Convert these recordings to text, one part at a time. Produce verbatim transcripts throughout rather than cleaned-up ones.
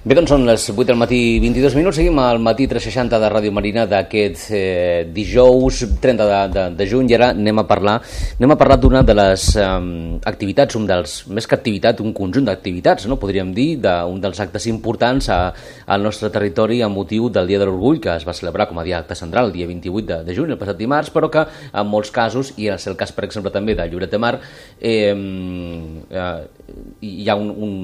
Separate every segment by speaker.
Speaker 1: Bé, doncs són les vuit del matí, vint-i-dos minuts. Seguim al matí tres seixanta de Ràdio Marina d'aquest eh, dijous trenta de, de, de juny, i ara anem a parlar anem a parlar d'una de les eh, activitats, un dels, més que activitat, un conjunt d'activitats, no? Podríem dir, d'un dels actes importants a, al nostre territori amb motiu del Dia de l'Orgull, que es va celebrar com a dia acte central el dia vint-i-vuit de, de juny, el passat dimarts, però que en molts casos, i és el cas, per exemple, també de Lloret de Mar, eh, eh, hi ha un, un,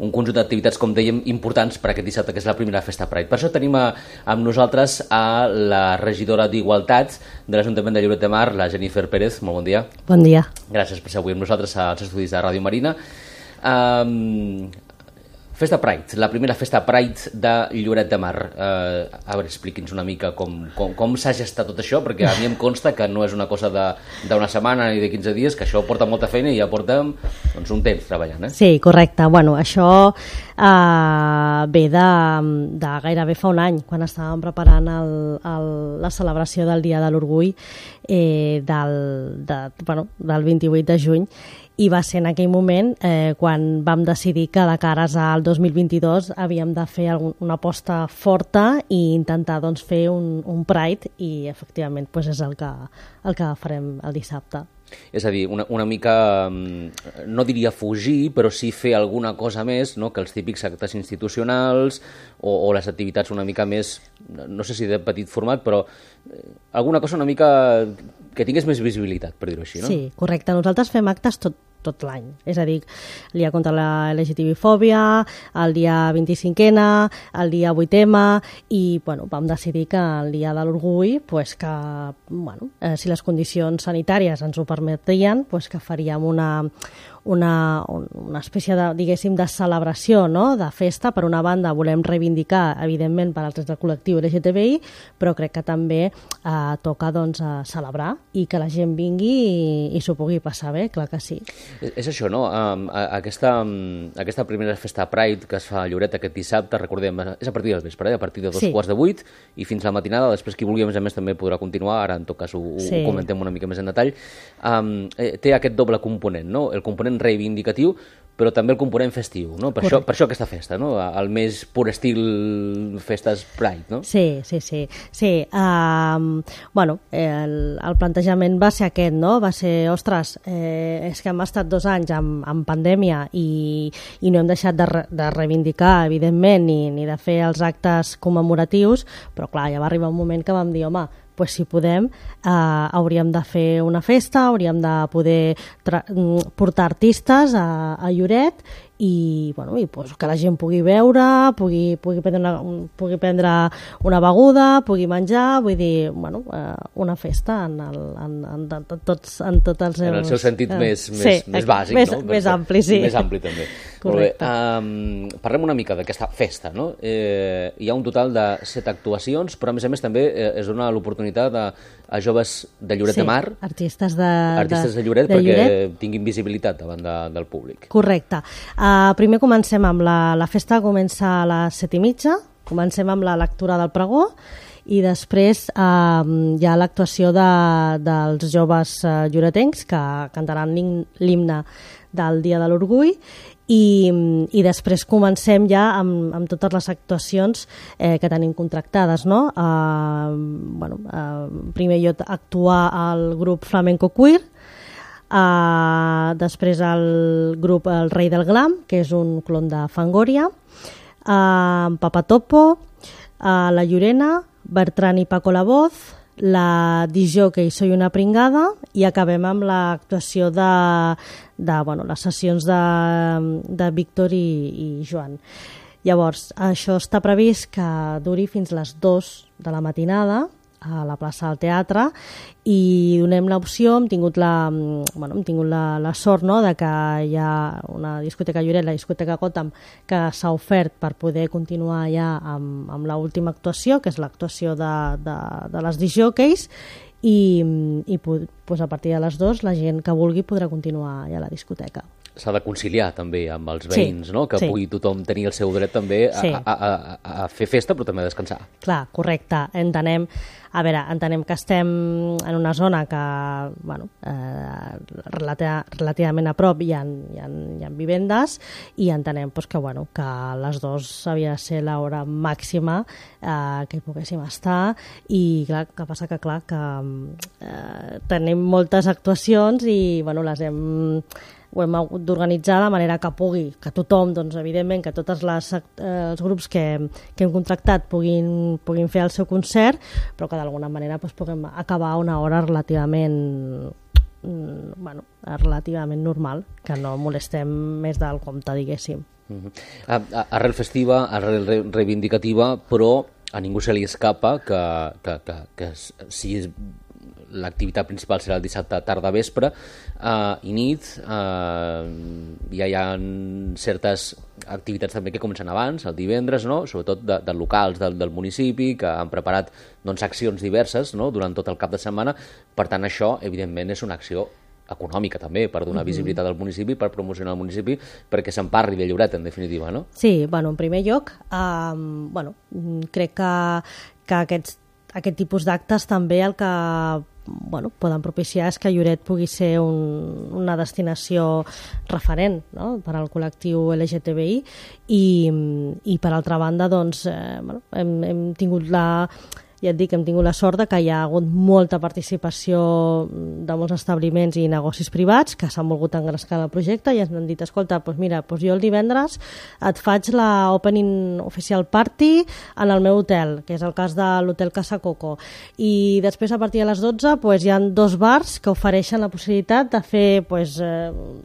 Speaker 1: un conjunt d'activitats, com dèiem, importants per aquest dissabte, que és la primera festa Pride. Per això tenim a, amb nosaltres a la regidora d'Igualtat de l'Ajuntament de Lloret de Mar, la Jennifer Pérez. Molt bon dia.
Speaker 2: Bon dia.
Speaker 1: Gràcies per ser avui amb nosaltres als estudis de Ràdio Marina. Um, Festa Pride, la primera festa Pride de Lloret de Mar. Uh, a veure, expliqui'ns una mica com, com, com s'ha gestat tot això, perquè a mi em consta que no és una cosa d'una setmana ni de quinze dies, que això porta molta feina i ja portem doncs, un temps treballant. Eh?
Speaker 2: Sí, correcte. Bueno, això uh, ve de, de gairebé fa un any, quan estàvem preparant el, el, la celebració del Dia de l'Orgull eh, del, de, bueno, del vint-i-vuit de juny, i va ser en aquell moment eh, quan vam decidir que de cares al dos mil vint-i-dos havíem de fer algun, una aposta forta i intentar doncs, fer un, un Pride, i efectivament doncs, és el que, el que farem el dissabte.
Speaker 1: És a dir, una, una mica, no diria fugir, però sí fer alguna cosa més, no?, que els típics actes institucionals o, o les activitats una mica més, no sé si de petit format, però alguna cosa una mica que tingués més visibilitat, per dir-ho així, no?
Speaker 2: Sí, correcte. Nosaltres fem actes tot, tot l'any. És a dir, el dia contra la L G T B-fòbia, el dia vint-i-cinquena, el dia vuit ema, i bueno, vam decidir que el dia de l'Orgull, pues que, bueno, eh, si les condicions sanitàries ens ho permetien, pues que faríem una, una, una espècie de, diguéssim, de celebració, no?, de festa. Per una banda, volem reivindicar, evidentment, per als drets del col·lectiu L G T B I, però crec que també eh, toca doncs, a celebrar i que la gent vingui i, i s'ho pugui passar bé, clar que sí.
Speaker 1: És això, no? Um, aquesta, um, aquesta primera festa Pride que es fa a Lloret aquest dissabte, recordem, és a partir del vespre, eh? A partir de dos sí. quarts de vuit i fins la matinada. Després, qui vulgui, a més a més, també podrà continuar. Ara, en tot cas, ho, sí. ho comentem una mica més en detall. Um, eh, té aquest doble component, no? El component reivindicatiu, però també el component festiu, no? Per, això, per això aquesta festa, no? El més pur estil festes Pride, no?
Speaker 2: Sí, sí, sí. sí. Um, bueno, el, el plantejament va ser aquest, no? Va ser, ostres, eh, és que hem estat dos anys amb, amb pandèmia i, i no hem deixat de, re, de reivindicar, evidentment, ni, ni de fer els actes commemoratius, però clar, ja va arribar un moment que vam dir, home, pues, si podem, eh, hauríem de fer una festa, hauríem de poder portar artistes a, a Lloret i, bueno, i pues, que la gent pugui veure, pugui, pugui, prendre una, pugui prendre una beguda, pugui menjar, vull dir, bueno, eh, una festa en, el, en, en, en, tots, en tots els seus...
Speaker 1: En el seu sentit eh, més,
Speaker 2: sí,
Speaker 1: més, més bàsic,
Speaker 2: més,
Speaker 1: no?
Speaker 2: Més ampli, sí.
Speaker 1: Més ampli, també.
Speaker 2: Correcte.
Speaker 1: Um, parlem una mica d'aquesta festa, no? Eh, hi ha un total de set actuacions, però a més a més també eh, es dona l'oportunitat a, a joves de Lloret
Speaker 2: sí,
Speaker 1: de Mar,
Speaker 2: artistes de,
Speaker 1: artistes de Lloret,
Speaker 2: de
Speaker 1: perquè
Speaker 2: Lloret.
Speaker 1: tinguin visibilitat davant de, del públic.
Speaker 2: Correcte. Uh, primer comencem amb la, la festa, comença a les set i mitja, comencem amb la lectura del pregó, i després eh, hi ha l'actuació de, dels joves eh, lloretencs que cantaran l'himne del Dia de l'Orgull, i, i després comencem ja amb, amb totes les actuacions eh, que tenim contractades, no? Eh, bueno, eh, primer jo actuar al grup Flamenco Queer, Uh, després el grup El Rei del Glam, que és un clon de Fangoria, uh, Papatopo, uh, La Llorena, Bertran i Paco la Voz, la disjockey Soy una pringada, i acabem amb l'actuació de, de bueno, les sessions de, de Víctor i, i Joan. Llavors, això està previst que duri fins les dues de la matinada a la plaça del Teatre, i donem l'opció, hem tingut la, bueno, hem tingut la, la sort, no?, de que hi ha una discoteca Lloret, la discoteca Gotham, que s'ha ofert per poder continuar ja amb, amb l'última actuació, que és l'actuació de, de, de les disjockeys, i, i pues, a partir de les dues la gent que vulgui podrà continuar ja a la discoteca.
Speaker 1: s'ha de conciliar també amb els veïns,
Speaker 2: sí,
Speaker 1: no? Que
Speaker 2: sí.
Speaker 1: pugui tothom tenir el seu dret també a,
Speaker 2: sí.
Speaker 1: a, a, a, a fer festa, però també a descansar.
Speaker 2: Clar, correcte. Entenem, a veure, entenem que estem en una zona que, bueno, eh, relativa, relativament a prop hi ha, hi ha, hi ha vivendes i entenem pues, que, bueno, que a les dues havia de ser l'hora màxima eh, que hi poguéssim estar i clar, que passa que, clar, que eh, tenim moltes actuacions i, bueno, les hem ho hem hagut d'organitzar de manera que pugui, que tothom, doncs, evidentment, que tots les, eh, els grups que, que hem contractat puguin, puguin fer el seu concert, però que d'alguna manera doncs, puguem acabar a una hora relativament, mm, bueno, relativament normal, que no molestem més del compte, diguéssim.
Speaker 1: Uh-huh. a, a, arrel festiva, arrel re, reivindicativa, però a ningú se li escapa que, que, que, que si és l'activitat principal serà el dissabte tarda vespre eh, i nit. Eh, ja hi ha certes activitats també que comencen abans, el divendres, no? Sobretot de, de locals del, del municipi, que han preparat doncs, accions diverses, no? Durant tot el cap de setmana. Per tant, això, evidentment, és una acció econòmica també, per donar uh-huh. visibilitat al municipi, per promocionar el municipi, perquè se'n parli de Lloret, en definitiva, no?
Speaker 2: Sí, bueno, en primer lloc, eh, bueno, crec que, que aquests, aquest tipus d'actes també el que bueno, poden propiciar és que Lloret pugui ser un, una destinació referent, no? Per al col·lectiu L G T B I i, i per altra banda doncs, eh, bueno, hem, hem tingut la ja et dic, hem tingut la sort de que hi ha hagut molta participació de molts establiments i negocis privats que s'han volgut engrescar en el projecte i ens han dit, escolta, doncs mira, doncs jo el divendres et faig la Opening Official Party en el meu hotel, que és el cas de l'Hotel Casa Coco. I després, a partir de les dotze, doncs, hi ha dos bars que ofereixen la possibilitat de fer doncs,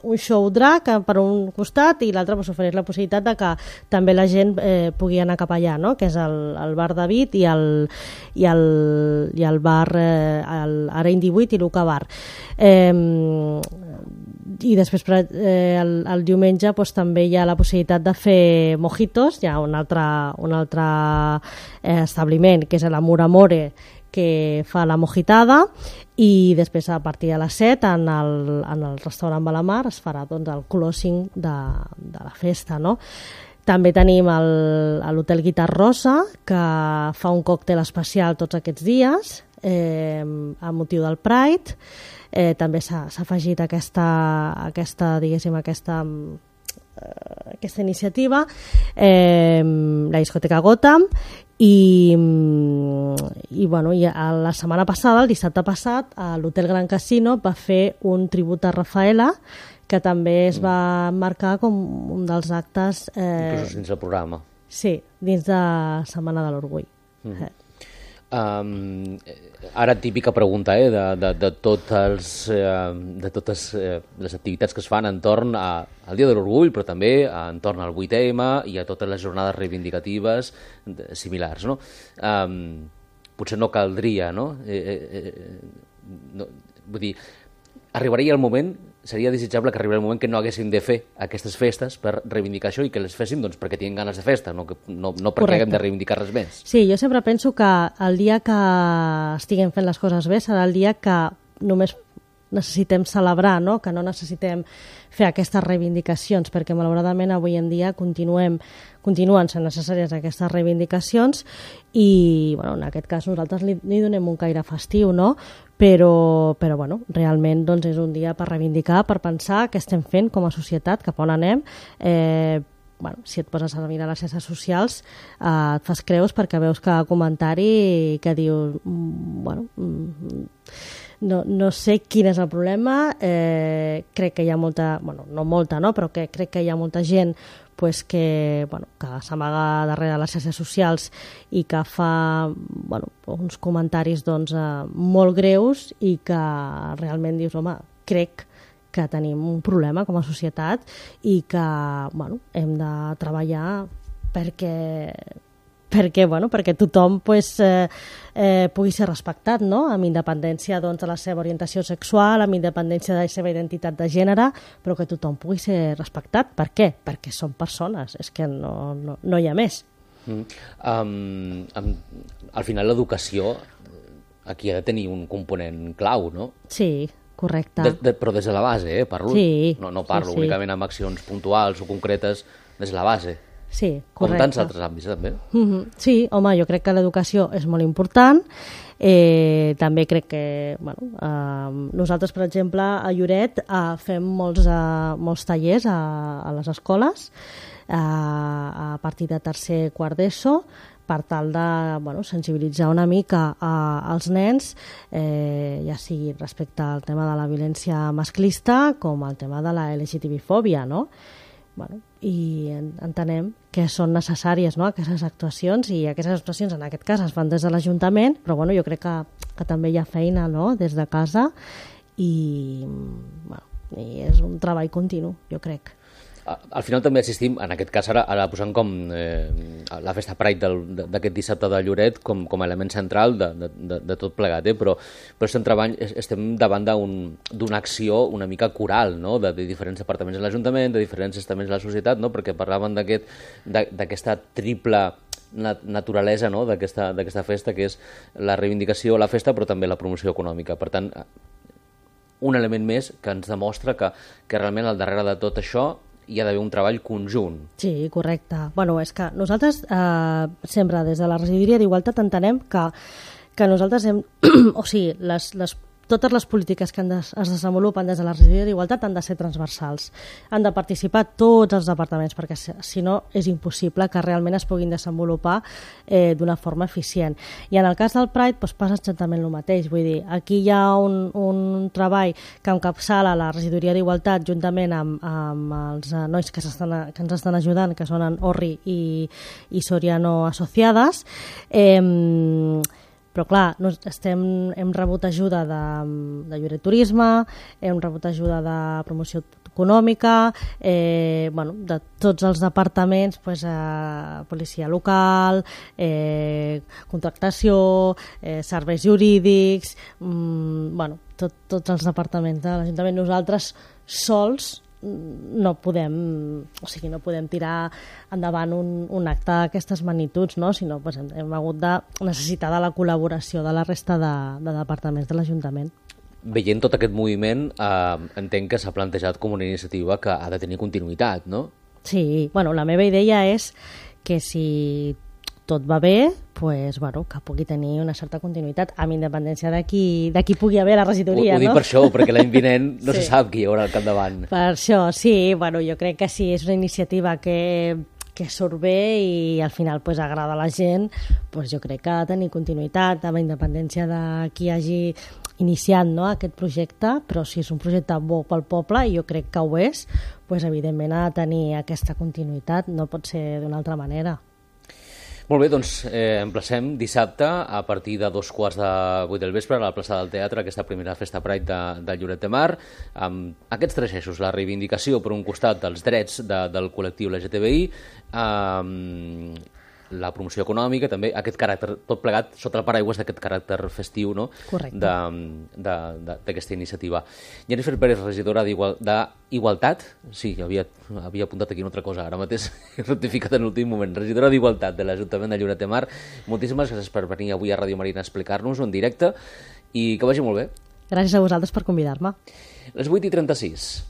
Speaker 2: un show drag per un costat i l'altre doncs, ofereix la possibilitat de que també la gent eh, pugui anar cap allà, no? Que és el, el bar David i el i el, i el bar eh, el Areny divuit i l'Uca Bar. Eh, i després eh, el, el diumenge doncs, també hi ha la possibilitat de fer mojitos, hi ha un altre, un altre eh, establiment que és l'Amor Amore que fa la mojitada i després a partir de les set en el, en el restaurant Balamar es farà doncs, el closing de, de la festa, no? També tenim l'Hotel Guitar Rosa, que fa un còctel especial tots aquests dies, eh, a motiu del Pride. Eh, també s'ha afegit aquesta, aquesta, diguéssim, aquesta, eh, aquesta iniciativa, eh, la discoteca Gotham, i, i, bueno, i la setmana passada, el dissabte passat, l'Hotel Gran Casino va fer un tribut a Rafaela, que també es va marcar com un dels actes...
Speaker 1: Eh, Inclús dins del programa.
Speaker 2: Sí, dins de Setmana de l'Orgull. Mm.
Speaker 1: Eh. Um, ara típica pregunta eh, de, de, de totes, eh, de totes eh, les activitats que es fan entorn a, al Dia de l'Orgull, però també entorn al vuit eme i a totes les jornades reivindicatives similars, no? Um, potser no caldria, no? Eh, eh, no vull dir, arribaria el moment, seria desitjable que arribés el moment que no haguéssim de fer aquestes festes per reivindicar això i que les féssim doncs, perquè tinguem ganes de festa, no, no, no perquè Correcte. Haguem de reivindicar res més.
Speaker 2: Sí, jo sempre penso que el dia que estiguem fent les coses bé serà el dia que només necessitem celebrar, no? Que no necessitem fer aquestes reivindicacions, perquè malauradament avui en dia continuem, continuen sent necessàries aquestes reivindicacions i bueno, en aquest cas nosaltres li, li donem un caire festiu, no? Però, però bueno, realment doncs, és un dia per reivindicar, per pensar què estem fent com a societat, cap on anem. Eh, bueno, si et poses a mirar les xarxes socials eh, et fas creus perquè veus cada comentari que diu bueno, no, no sé quin és el problema, eh, crec que hi ha molta, bueno, no molta, no? Però que crec que hi ha molta gent pues que, bueno, que s'amaga darrere les xarxes socials i que fa bueno, uns comentaris doncs, eh, molt greus i que realment dius, home, crec que tenim un problema com a societat i que bueno, hem de treballar perquè, perquè, bueno, perquè tothom pues, eh, eh, pugui ser respectat, no? Amb independència doncs, de la seva orientació sexual, amb independència de la seva identitat de gènere, però que tothom pugui ser respectat. Per què? Perquè són persones, és que no, no, no hi ha més.
Speaker 1: Mm. Um, um, al final l'educació aquí ha de tenir un component clau, no?
Speaker 2: Sí, correcte.
Speaker 1: De, de, però des de la base, eh, parlo.
Speaker 2: Sí,
Speaker 1: no, no parlo
Speaker 2: sí, sí.
Speaker 1: únicament amb accions puntuals o concretes, des de la base.
Speaker 2: Sí, correcte.
Speaker 1: Com tants altres àmbits, també.
Speaker 2: Mm-hmm. Sí, home, jo crec que l'educació és molt important. Eh, també crec que bueno, eh, nosaltres, per exemple, a Lloret eh, fem molts, eh, molts tallers a, a les escoles eh, a partir de tercer, quart d'ESO, per tal de bueno, sensibilitzar una mica eh, als nens, eh, ja sigui respecte al tema de la violència masclista com al tema de la L G T B-fòbia, no? Bueno, i entenem que són necessàries, no?, aquestes actuacions, i aquestes actuacions en aquest cas es fan des de l'Ajuntament, però bueno, jo crec que, que també hi ha feina, no?, des de casa, i, bueno, i és un treball continu, jo crec.
Speaker 1: Al final també assistim, en aquest cas ara, ara posant com eh, la festa Pride d'aquest dissabte de Lloret com, com a element central de, de, de tot plegat, eh? però, però estem, treball, estem davant d'una acció una mica coral, no?, de, de diferents departaments de l'Ajuntament, de diferents estaments de la societat, no?, perquè parlaven d'aquesta triple naturalesa, no?, d'aquesta festa, que és la reivindicació, la festa, però també la promoció econòmica. Per tant, un element més que ens demostra que, que realment al darrere de tot això hi ha d'haver un treball conjunt.
Speaker 2: Sí, correcte. Bueno, és que nosaltres eh, sempre des de la Regidoria d'Igualtat entenem que, que nosaltres hem... o sigui, les, les totes les polítiques que de, es desenvolupen des de la Regidoria d'Igualtat han de ser transversals. Han de participar tots els departaments, perquè si no és impossible que realment es puguin desenvolupar eh, d'una forma eficient. I en el cas del Pride doncs, passa exactament el mateix. Vull dir, aquí hi ha un, un treball que encapçala la Regidoria d'Igualtat juntament amb, amb els nois que, que ens estan ajudant, que són en Orri i, i Soriano Associades. Eh, Però, clar, no, estem, hem rebut ajuda de, de Lloret Turisme, hem rebut ajuda de promoció econòmica, eh, bueno, de tots els departaments, pues, eh, policia local, eh, contractació, eh, serveis jurídics, mm, bueno, tot, tots els departaments de l'Ajuntament. Nosaltres sols no podem, o sigui, no podem tirar endavant un, un acte d'aquestes magnituds, no? Sinó pues, hem, hem hagut de necessitar de la col·laboració de la resta de, de departaments de l'Ajuntament.
Speaker 1: Veient tot aquest moviment, eh, entenc que s'ha plantejat com una iniciativa que ha de tenir continuïtat, no?
Speaker 2: Sí, bueno, la meva idea és que si tot va bé, pues, bueno, que pugui tenir una certa continuïtat, amb independència de qui, de qui pugui haver la regidoria,
Speaker 1: ho, ho dic
Speaker 2: no?
Speaker 1: per això, perquè l'any vinent no
Speaker 2: sí.
Speaker 1: se sap qui hi haurà al capdavant.
Speaker 2: Per això, sí, bueno, jo crec que sí, és una iniciativa que, que surt bé i al final pues, agrada a la gent, pues, jo crec que ha de tenir continuïtat, amb independència de qui hagi iniciat, no, aquest projecte, però si és un projecte bo pel poble, i jo crec que ho és, pues, evidentment ha de tenir aquesta continuïtat, no pot ser d'una altra manera.
Speaker 1: Molt bé, doncs eh, emplacem dissabte a partir de dos quarts de vuit del vespre a la plaça del Teatre, aquesta primera festa Pride de, de Lloret de Mar, amb aquests tres eixos, la reivindicació per un costat dels drets de, del col·lectiu L G T B I, eh, la promoció econòmica, també aquest caràcter, tot plegat sota el paraigües d'aquest caràcter festiu, no?
Speaker 2: Correcte.
Speaker 1: D'aquesta iniciativa. Jennifer Pérez, regidora d'Igualtat, sí, havia, havia apuntat aquí una altra cosa, ara mateix he rectificat en l'últim moment, regidora d'Igualtat de l'Ajuntament de Lloret de Mar, moltíssimes gràcies per venir avui a Ràdio Marina a explicar-nos-ho en directe i que vagi molt bé.
Speaker 2: Gràcies a vosaltres per convidar-me.
Speaker 1: Les vuit i trenta-sis.